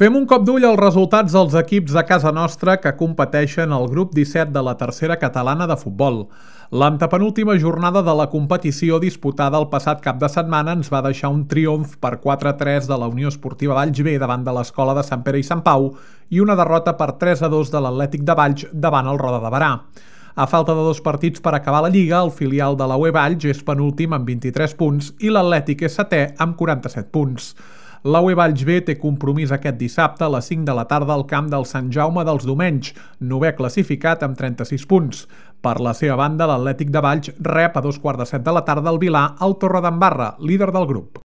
Fem un cop d'ull als resultats dels equips de casa nostra que competeixen al grup 17 de la tercera catalana de futbol. L'antepenúltima jornada de la competició disputada el passat cap de setmana ens va deixar un triomf per 4-3 de la Unió Esportiva Valls B davant de l'Escola de Sant Pere i Sant Pau i una derrota per 3-2 de l'Atlètic de Valls davant el Roda de Berà. A falta de 2 partits per acabar la Lliga, el filial de la UE Valls és penúltim amb 23 punts i l'Atlètic és setè amb 47 punts. La UE Valls B té compromís aquest dissabte a les 5 de la tarda al camp del Sant Jaume dels Domenys, novè classificat amb 36 punts. Per la seva banda, l'Atlètic de Valls rep a 2:15 de la tarda al Vilà al Torredembarra, líder del grup.